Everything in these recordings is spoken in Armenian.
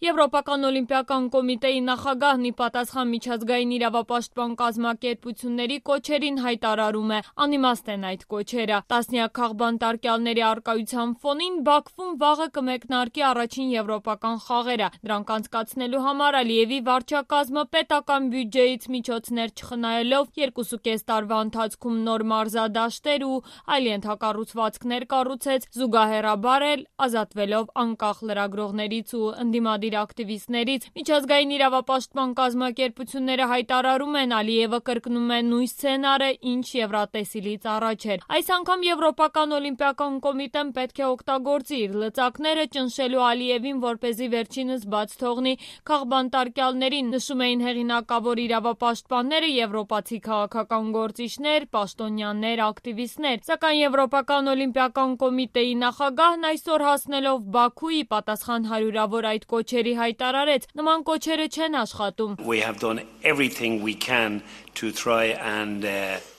Եվրոպական օլիմպիական կոմիտեի նախագահն ի պատասխան միջազգային իրավապաշտպան կազմակերպությունների կոչերին հայտարարում է. անիմաստ են այդ կոչերը։ Տասնյակ քաղբանտարկյալների առկայության ֆոնին Բաքվում վաղը կմեկնարկի առաջին եվրոպական խաղերը։ Դրանք անցկացնելու համար Ալիևի վարչակազմը պետական բյուջեից միջոցներ չխնայելով 2.5 տարվա ընթացքում նոր մարզադաշտեր ու այլ ենթակառուցվածքներ կառուցեց, զուգահեռաբար էլ ազատվելով անկախ լրագրողներից ու ընդդիմադիր ակտիվիստներից։ Միջազգային իրավապաշտպան կազմակերպությունները հայտարարում են, Ալիևը կրկնում է նույն սցենարը, ինչ Եվրատեսիլից առաջ էր։ Այս անգամ Եվրոպական օլիմպիական կոմիտեն պետք է օգտագործի իր լծակները ճնշելու Ալիևին, որպեսզի վերջինս բաց թողնի քաղբանտարկյալներին, նշում էին հեղինակավոր իրավապաշտպանները, եվրոպացի քաղաքական գործիչներ, պաշտոնյաներ, ակտիվիստներ։ Սակայն Եվրոպական օլիմպիական կոմիտեի նախագահն այսօր հասնելով Բաքու ի պատասխան հարյուրավոր այդ կոչերի հայտարարեց. նման կոչերը չեն աշխատում։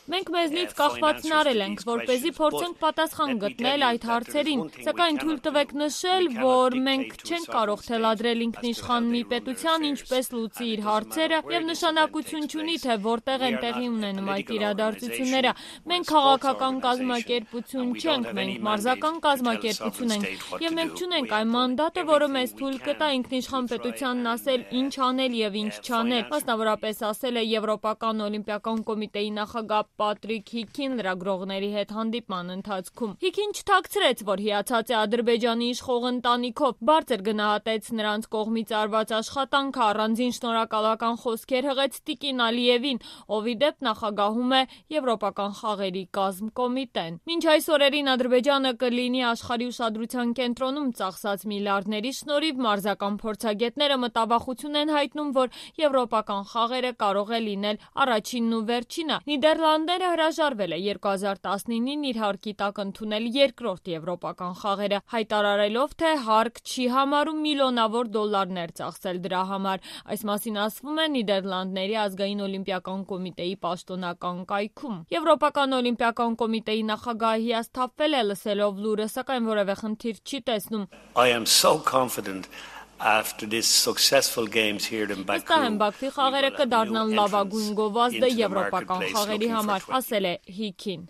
Մենք մեզնից կախվածն արել ենք, որպեսզի փորձենք պատասխան գտնել այդ հարցերին, սակայն թույլ տվեք նշել, որ մենք չենք կարող թելադրել ինքնիշխան մի պետության ինչպես լուծի իր հարցերը եւ նշանակություն չունի, թե որտեղ են տեղի ունենում այդ իրադարձությունները։ Մենք քաղաքական կազմակերպություն չենք, մենք մարզական կազմակերպություն ենք եւ մենք չունենք այն մանդատը, որը մեզ թույլ կտա ինքնիշխան պետությանն ասել ինչ անել եւ ինչ չանել։ Մասնավորապես ասել է Եվրոպական օլիմպիական կոմիտեի նախագահ Պատրիկ Հիքին լրագրողների հետ հանդիպման ընթացքում։ Հիքին չթաքցրեց, որ հիացած է Ադրբեջանի իշխող ընտանիքով, բարձր գնահատեց նրանց կողմից արված աշխատանքը, առանձին շնորհակալական խոսքեր հղեց տիկին Ալիևին, ով ի դեպ նախագահում է Եվրոպական խաղերի կազմկոմիտեն։ Մինչ այս օրերին Ադրբեջանը կլինի աշխարհի ուշադրության կենտրոնում ծախսած միլիարդների շնորհիվ, մարզական փորձագետները մտավախություն են հայտնում, որ Եվրոպական խաղերը կարող է լինել առաջինն ու վերջինը։ Նիդերլանդները հրաժարվել է 2019-ին իր հարկի տակ ընդունել երկրորդ եվրոպական խաղերը, հայտարարելով, թե հարկ չի համարում միլիոնավոր դոլարներ ծախսել դրա համար։ Այս մասին ասվում է Նիդերլանդների ազգային օլիմպիական կոմիտեի պաշտոնական կայքում։ Եվրոպական օլիմպիական կոմիտեի նախագահը հիասթափվել է լսելով լուրը, սակայն որևէ խնդիր չի տեսնում։ Վստահ եմ, Բաքվի խաղերը կդառնան լավագույն գովազդը եվրոպական խաղերի համար, ասել է Հիքին։